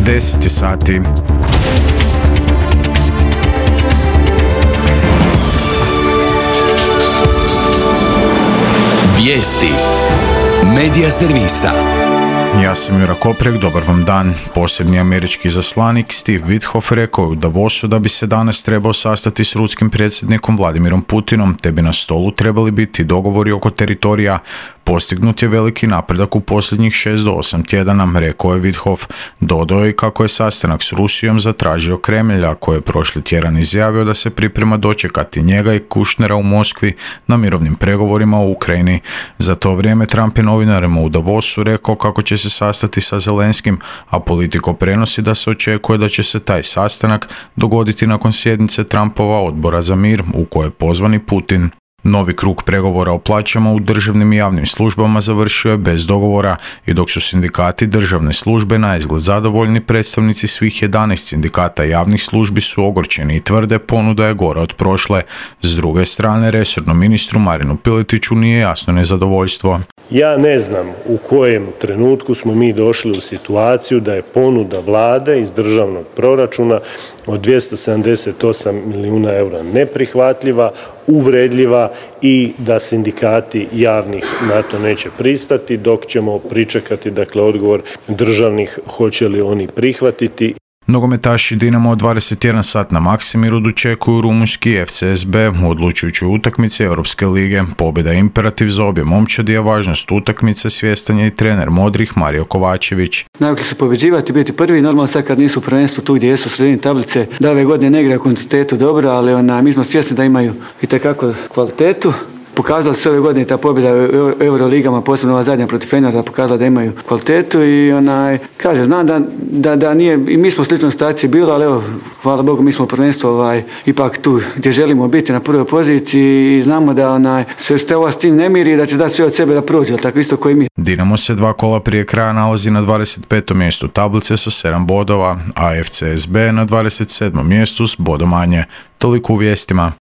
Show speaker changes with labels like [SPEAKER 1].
[SPEAKER 1] 10 sati.
[SPEAKER 2] Vijesti Medija servisa.
[SPEAKER 1] Ja sam Jura Koprek, dobar vam dan. Posebni američki izaslanik Steve Witkoff rekao je u Davosu da bi se danas trebao sastati s ruskim predsjednikom Vladimirom Putinom, te bi na stolu trebali biti dogovori oko teritorija. Postignut je veliki napredak u posljednjih 6 do 8 tjedana, rekao je Witkoff. Dodao je kako je sastanak s Rusijom zatražio Kremlj, a koji je prošli tjedan izjavio da se priprema dočekati njega i Kushnera u Moskvi na mirovnim pregovorima u Ukrajini. Za to vrijeme Trump je novinarima u Davosu rekao kako će se sastati sa Zelenskim, a Politico prenosi da se očekuje da će se taj sastanak dogoditi nakon sjednice Trumpova odbora za mir u kojoj je pozvan i Putin. Novi krug pregovora o plaćama u državnim i javnim službama završio je bez dogovora i dok su sindikati državne službe naizgled zadovoljni, predstavnici svih 11 sindikata javnih službi su ogorčeni i tvrde ponuda je gora od prošle. S druge strane, resornom ministru Marinu Piletiću nije jasno nezadovoljstvo.
[SPEAKER 3] Ja ne znam u kojem trenutku smo mi došli u situaciju da je ponuda vlade iz državnog proračuna od 278 milijuna eura neprihvatljiva, uvredljiva i da sindikati javnih na to neće pristati, dok ćemo pričekati odgovor državnih hoće li oni prihvatiti.
[SPEAKER 1] Nogometaši Dinamo od 21 sat na Maksimiru dočekuju rumunjski FCSB u odlučujućoj utakmici Europske lige. Pobjeda je imperativ za obje momčadi, a važnost utakmice svjestan je i trener modrih Mario Kovačević.
[SPEAKER 4] Navikli su pobjeđivati, biti prvi, normalno sad kad nisu u prvenstvu tu gdje jesu u sredini tablice, da ove godine ne igraju kvantitetu dobro, ali mi smo svjesni da imaju itekako kvalitetu. Pokazali su ove godine ta pobjeda u Euroligama, posebno ova zadnja protiv Fenerda, pokazala da imaju kvalitetu i znam da nije, i mi smo u sličnoj situaciji bili, ali evo, hvala Bogu, mi smo prvenstvo ipak tu gdje želimo biti na prvoj poziciji i znamo da se ova s tim ne miri i da će dati sve od sebe da prođe, tako isto koji mi.
[SPEAKER 1] Dinamo se 2 kola prije kraja nalazi na 25. mjestu tablice sa 7 bodova, a FCSB na 27. mjestu s bodom manje. Toliko u vijestima.